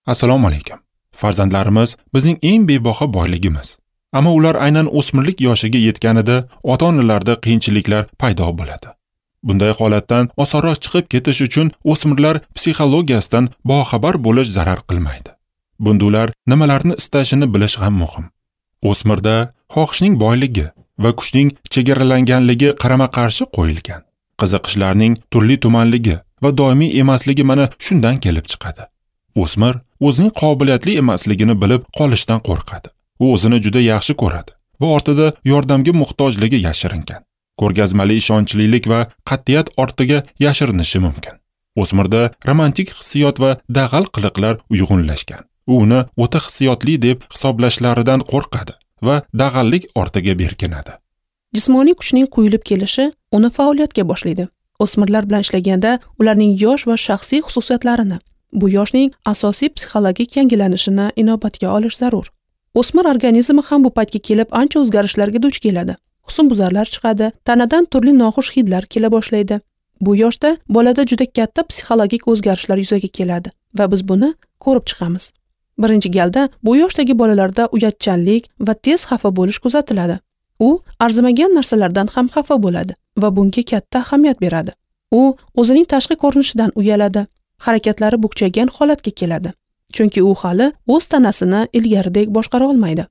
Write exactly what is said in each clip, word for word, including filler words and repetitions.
Assalomu alaykum. Farzandlarimiz bizning eng bebaho boyligimiz. Ammo ular aynan o'smirlik yoshiga yetganida ota-onalarda qiyinchiliklar paydo bo'ladi. Bunday holatdan osonroq chiqib ketish uchun o'smirlar psixologiyasidan boxabar bo'lish zarar qilmaydi. Bunda ular nimalarni istashini bilish ham muhim. O'smirda xohishning boyligi va kuchning chegaralanganligi qarama-qarshi qo'yilgan. Qiziqishlarning turli tumanligi va doimiy emasligi mana shundan kelib chiqadi. O'smir o'zining qobiliyatli emasligini bilib qolishdan qo'rqadi. U o'zini juda yaxshi ko'radi va ortida yordamga muhtojligi yashiringan. Ko'rgazmali ishonchlilik va qat'iyat ortiga yashirinishi mumkin. O'smirda romantik hissiyot va dag'al qiliqlar uyg'unlashgan. U uni o'ta hissiyotli deb hisoblashlaridan qo'rqadi va dag'allik ortiga berkinadi. Jismoniy kuchning quyilib kelishi uni faoliyatga boshlaydi. O'smirlar bilan ishlaganda ularning yosh va shaxsiy xususiyatlarini, bu yoshning asosiy psixologik yangilanishini inobatga olish zarur. O'smir organizmi ham bu paytga kelib ancha o'zgarishlarga duch keladi. Husnbuzarlar chiqadi, tanadan turli noxush hidlar kela boshlaydi. Bu yoshda bolada juda katta psixologik o'zgarishlar yuzaga keladi va biz buni ko'rib chiqamiz. Birinchi galda bu yoshdagi bolalarda uyatchanlik va tez xafa bo'lish kuzatiladi. U arzimagan narsalardan ham xafa bo'ladi va bunga katta ahamiyat beradi. U o'zining tashqi ko'rinishidan uyaladi, harakatlari bukchaygan holatga keladi. Chunki u hali o'z tanasini ilgaridek boshqara olmaydi.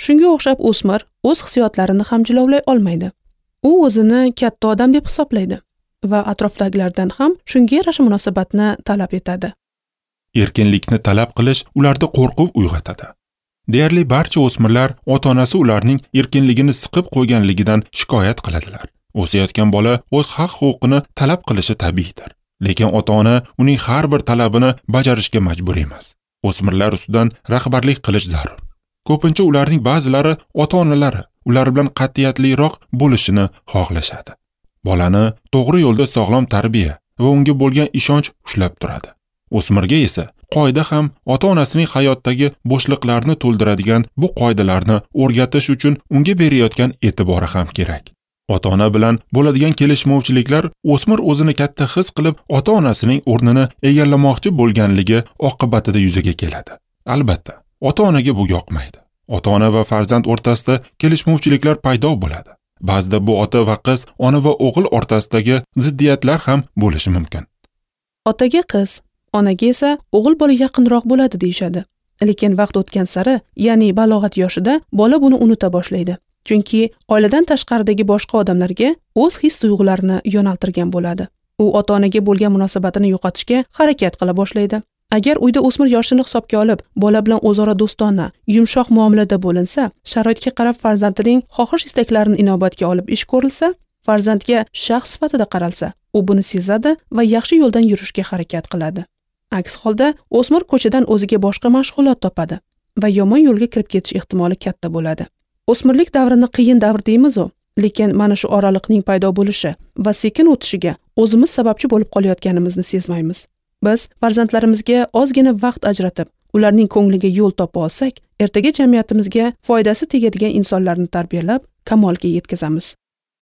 Shunga o'xshab o'smir o'z hissiyotlarini ham jilovlay olmaydi. U o'zini katta odam deb hisoblaydi va atrofdagilardan ham shunga yarasha munosabatni talab etadi. Erkinlikni talab qilish ularda qo'rquv uyg'otadi. Deyarli barcha o'smirlar ota-onasi ularning erkinligini siqib qo'yganligidan shikoyat qiladilar. O'sayotgan bola o'z haq-huquqini talab qilishi tabiiydir. Lekin ota-ona uning har bir talabini bajarishga majbur emas. O'smirlar ustidan rahbarlik qilish zarur. Ko'pincha ularning ba'zilari ota-onalari ular bilan qat'iyatliroq bo'lishini xohlashadi. Bolani to'g'ri yo'lda sog'lom tarbiya va unga bo'lgan ishonch ushlab turadi. O'smirga esa qoida ham ota-onasining hayotdagi bo'shliqlarni to'ldiradigan bu qoidalarni o'rgatish uchun unga berayotgan e'tibori ham kerak. Ota-ona bilan bo'ladigan kelishmovchiliklar o'smir o'zini katta his qilib, ota-onasining o'rnini egallamoqchi bo'lganligi oqibatida yuzaga keladi. Albatta, ota-onaga bu yoqmaydi. Ota-ona va farzand o'rtasida kelishmovchiliklar paydo bo'ladi. Ba'zida bu ota va qiz, ona va o'g'il o'rtasidagi ziddiyatlar ham bo'lishi mumkin. Otaga qiz, onaga esa o'g'il bola yaqinroq bo'ladi deyshadi. Lekin vaqt o'tgan sari, ya'ni balog'at yoshida bola buni unuta boshlaydi. Chunki oiladan tashqaridagi boshqa odamlarga o'z his-tuyg'ularini yo'naltirgan bo'ladi. U ota-onaga bo'lgan munosabatini yo'qotishga harakat qila boshlaydi. Agar uyda o'smir yoshini hisobga olib, bola bilan o'zaro do'stona, yumshoq muomalada bo'linsa, sharoitga qarab farzandining xohish-istaklarini inobatga olib ish ko'rilsa, farzandga shaxs sifatida qaralsa, u buni sezadi va yaxshi yo'ldan yurishga harakat qiladi. Aks holda o'smir ko'chadan o'ziga boshqa mashg'ulot topadi va yomon yo'lga kirib ketish ehtimoli katta bo'ladi. O'smirlik davrini qiyin davr deymiz-u, lekin mana shu oraliqning paydo bo'lishi va sekin o'tishiga o'zimiz sababchi bo'lib qolayotganimizni sezmaymiz. Biz farzandlarimizga ozgina vaqt ajratib, ularning ko'ngliga yo'l topa olsak, ertaga jamiyatimizga foydasi tegadigan insonlarni tarbiyalab, kamolga yetkazamiz.